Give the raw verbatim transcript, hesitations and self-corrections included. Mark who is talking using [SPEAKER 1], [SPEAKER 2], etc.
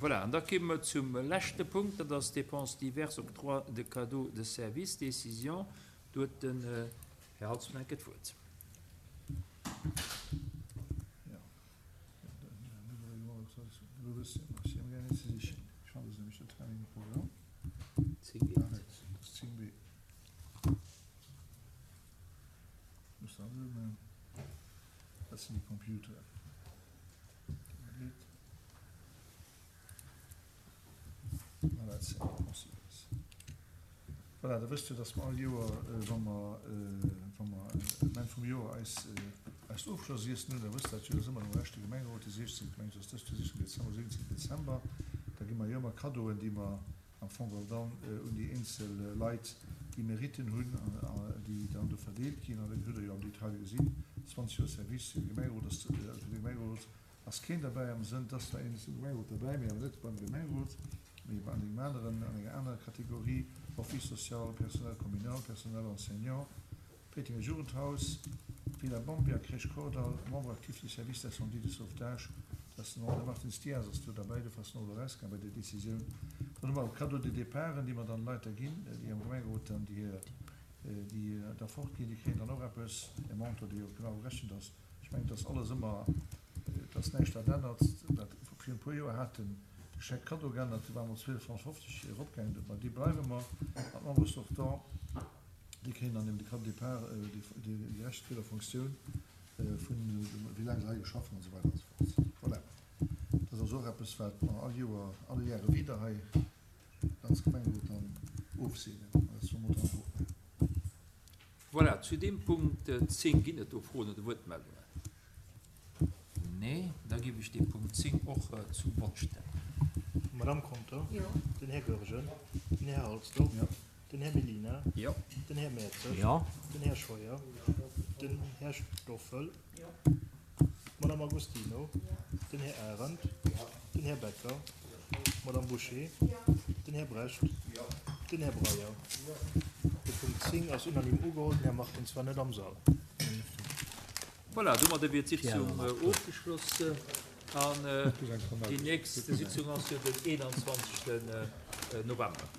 [SPEAKER 1] Voilà, an da komme mer zum leschte Punkt, dat ass Dépenses diverses, octroi de cadeaux de service, décision. Do huet den Här Halsdorf eng Kéier d'Wuert.
[SPEAKER 2] Voilà, da wësst Dir, dass mer all Joer, wa mer, wa mer um Enn vum Joer eis, eist Ofschlossiessen hunn, da wësst Der dat jo, dat ass ëmmer nom leschte Gemengerot, de siechzéngten, mengen ech, ass dëst Joer, siechzéngten Dezember, siwwenzéngten Dezember, da gi mer jo ëmmer Kaddoen, déi mer am Fong geholl dann un déi eenzel Leit, déi Meritten hunn, déi dann do verdeelt ginn. An dat hutt Der jo am Detail gesinn, zwanzeg Joer Service fir de Gemengerot ass, fir de Gemengerot ass keen derbäi am Sënn, et ass zwar een zum Gemengerot derbäi, mee awer net beim Gemengerot, mee an engem aneren, an enger anerer Kategorie, Office social, Personnel communal, Personnel enseignant, Péitenger Jugendhaus, Villa Bambi a Crèche Kordall, Membre actif du service d'incendie de sauvetage, dat ass den André Martins Dias ass do derbäi, dofir ass en och elo erausgaang bei där Décisioun. Dann hu mer och Cadeaux de départen, déi mer dann Leit da ginn, déi am Gemengerot dann déi hir, déi da fortginn, déi kréien dann och eppes, e Montant, dee jo genau gerechent ass. Ech mengen, et ass alles ëmmer, et ass näischt wat ännert. Wat virun e puer Joer hat den de Chèque cadeau geännert, do ware mer op zwielef Francs fofzeg eropgaangen, bei deem bleiwe mer. An d'Membres sortants, déi kréien dann eben de Cadeau de départ, dee gerecht gëtt a Fonctioun vun wéi laang se hei geschafft hunn an esou weider an esou fort. Voilà, dat ass also och eppes, wat mer all Joer, alle Jahre wieder hei als Gemengerot dann ofseenen. An dat soll mer dann och maachen.
[SPEAKER 1] Voilà, zu deem Punkt zéng ginn et do Froen oder Wuertmeldungen? Nee, da géif ech dee Punkt zéng och zum Vott stellen.
[SPEAKER 3] D'Madame Conter, den Här Goergen, den Här Halsdorf, den Här Mellina, den Här Mertzig, den Här Scheuer, den Här Stoffel, d'Madame Agostino, den Här Arendt, den Här Becker, d'Madame Bouché, den Här Brecht, den Här Breyer. De Punkt zéng ass unanime ugeholl. Den Här Martins war net am Sall.
[SPEAKER 1] Voilà, domadder wier d'Sitzung ofgeschloss an déi nächst Sitzung ass jo den eenanzwanzegsten November.